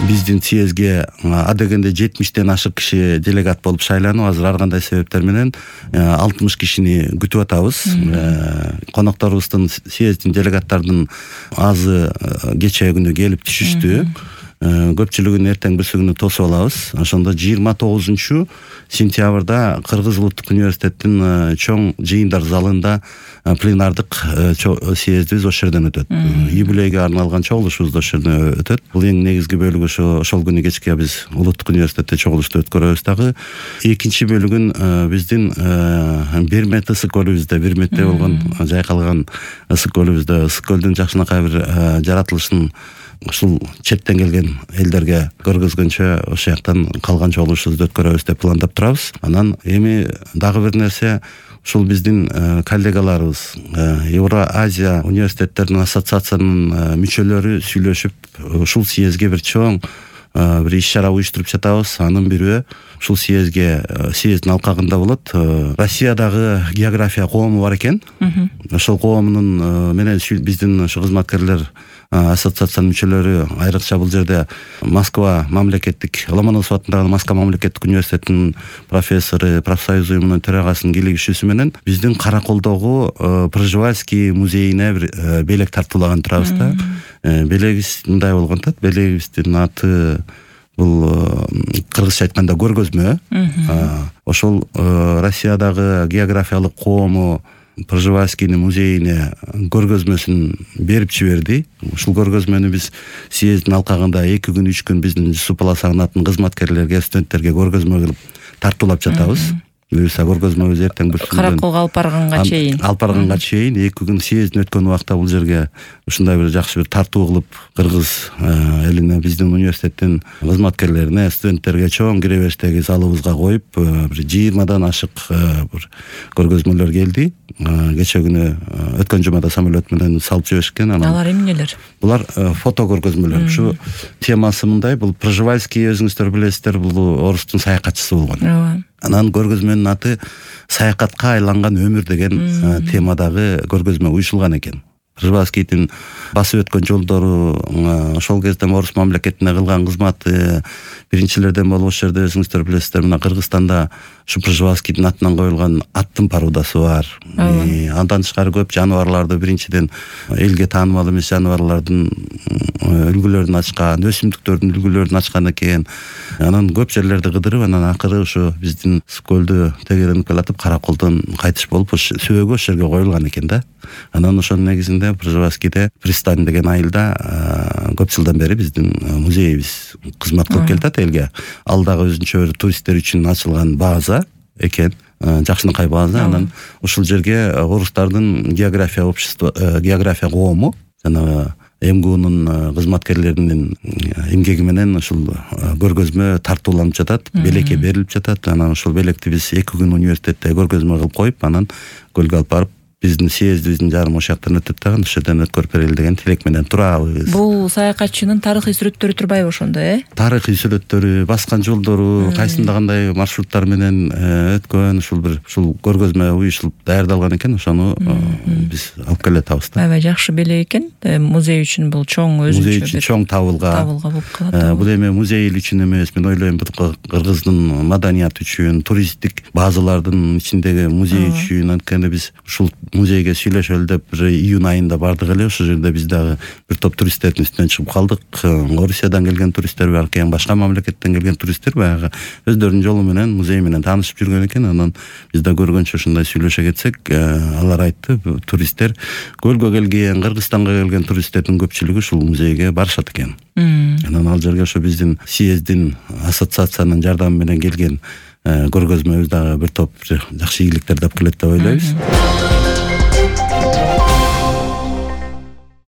биздин съездге адегенде 70-тен ашык киши делегат болуп шайланып, азыр ар кандай себептер менен 60 кишини күтүп атабыз. Конокторубуздун съездин делегаттардын азы кечээ күнү келип түшүштү. Көпчүлүгүн эртең бүрсү күнү тосуп алабыз. Ошондо 29 сентябрда Кыргыз Улуттук университеттин чоң жыйындар залында пленардык съездибиз ошол жерден өтөт. Юбилейге арналган чогулушубуз да ошол жерден өтөт. Бул эң негизги бөлүгү ошол күнү кечке биз Улуттук университетте чогулушту өткөрөбүз дагы. Экинчи бөлүгүн биздин Бермет ысык көлүбүздө, Берметте болгон жайкалган ысык көлүбүздө, ысык көлдүн жакшынакай бир жаратылышын ушул четтен келген элдерге көргөзгөнчө ошол жактан калган чогулушубузду өткөрөбүз деп пландап турабыз. Анан эми дагы бир нерсе, ушул биздин коллегаларыбыз, Евро-Азия университеттердин ассоциациясынын мүчөлөрү сүйлөшүп, ушул съездге бир чоң бир иш-чара уюштуруп жатабыз. Анын бирөө ушул съездин алкагында болот. Россиядагы география коому бар экен. Ошол коомунун менен биздин ушу кызматкерлер ассоциациянын мүчөлөрү айрыкча бул жерде Москва мамлекеттик, Ломоносов атындагы Москва мамлекеттик университетинин профессору, профсоюз уюмунун төрагасынын кийлигишүүсү менен биздин Караколдогу Пржевальский музейине бир белек тартуулаган турабыз да. Белегибиз мындай болгон да, белегибиздин аты бул кыргызча айтканда көргөзмө. Ошол Россиядагы географиялык коому Пржевальскийнин музейине көргөзмөсүн берип жиберди. Ушул көргөзмөнү биз съездин алкагында 2 күн 3 күн биздин Жусуп Баласагынаттын кызматкерлерге, студенттерге көргөзмө кылып тартуулап жатабыз. Буюрса көргөзмөбүз эртең бүрсү Караколго алып барганга чейин. 2 күн съездин өткөн убакта бул жерге ушундай бир жакшы бир тартуу кылып, кыргыз элине, биздин университеттин кызматкерлерине, студенттерге чоң кире бериштеги залыбызга коюп, бир 20дан ашык бир көргөзмөлөр келди. Кечээ күнү өткөн жумада самолет менен салып жиберишкен. Алар эмнелер? Булар фото көргөзмөлөр. Ушу темасы мындай, бул Пржевальский, өзүңүздөр билесиздер, бул орустун саякатчысы болгон. Анан көргөзмөнүн аты «Саякатка айланган өмүр» деген темадагы көргөзмө уюшулган экен. Пржевальскийдин басып өткөн жолдору, ошол кезде орус мамлекетине кылган кызматы, биринчилерден болуп ошол жерде өзүңүздөр билесиздер, мына Кыргызстанда ушу Пржевальскийдин атынан коюлган аттын парудасы бар. Андан тышкары көп жаныбарларды, биринчиден элге таанымал эмес жаныбарлардын үлгүлөрүн ачкан, өсүмдүктөрдүн үлгүлөрүн ачкан экен. Анан көп жерлерди кыдырып, анан акыры ушу биздин көлдү тегеренип келатып, Караколдон кайтыш болуп, сөөгү ошол жерге коюлган экен да. Анан ошонун негизинде Пржевальскийде Пристань деген айылда көп жылдан бери биздин музейибиз кызмат кылып келатат элге. Ал дагы өзүнчө бир туристтер үчүн ачылган база экен, жакшынакай база. Анан ушул жерге орустардын география коому жана МГУнун кызматкерлеринин эмгеги менен ушул көргөзмө тартууланып жатат, белекке берилип жатат. Анан ушул белекти биз 2 күн университетте көргөзмө кылып коюп, анан көлгө алып барып биздин съездибиздин жарым ошол жактан өтөт дагы, ошол жерден өткөрүп берели деген тилек менен турабыз. Бул саякатчынын тарыхый сүрөттөрү турбайбы ошондо, Тарыхый сүрөттөрү, баскан жолдору, кайсында кандай маршруттар менен өткөн, ушул көргөзмө уюшулуп даярдалган экен, ошону биз алып келе жатабыз да. Аябай жакшы белек экен. Музей үчүн бул чоң өзүнчө музей үчүн чоң табылга болуп калат. Бул эми музей үчүн эмес, мен ойлойм, кыргыздын маданияты үчүн, туристтик базалардын ичиндеги музей үчүн, анткени биз ушул музейге сүйлөшөлү деп бир июнь айында бардык эле. Ошол жерде биз дагы бир топ туристтердин үстүнөн чыгып калдык. Орусиядан келген туристтер бар экен, башка мамлекеттен келген туристтер баягы өздөрүнүн жолу менен музей менен таанышып жүргөн экен. Анан биз да көргөнчө ушундай сүйлөшө кетсек, алар айтты, туристтер көлгө келген, Кыргызстанга келген туристтердин көпчүлүгү ушул музейге барышат экен. Анан ал жерге ошо биздин съездин ассоциациянын жардамы менен келген көргөзмөбүз дагы бир топ жакшы ийгиликтерди алып келет деп ойлойбуз.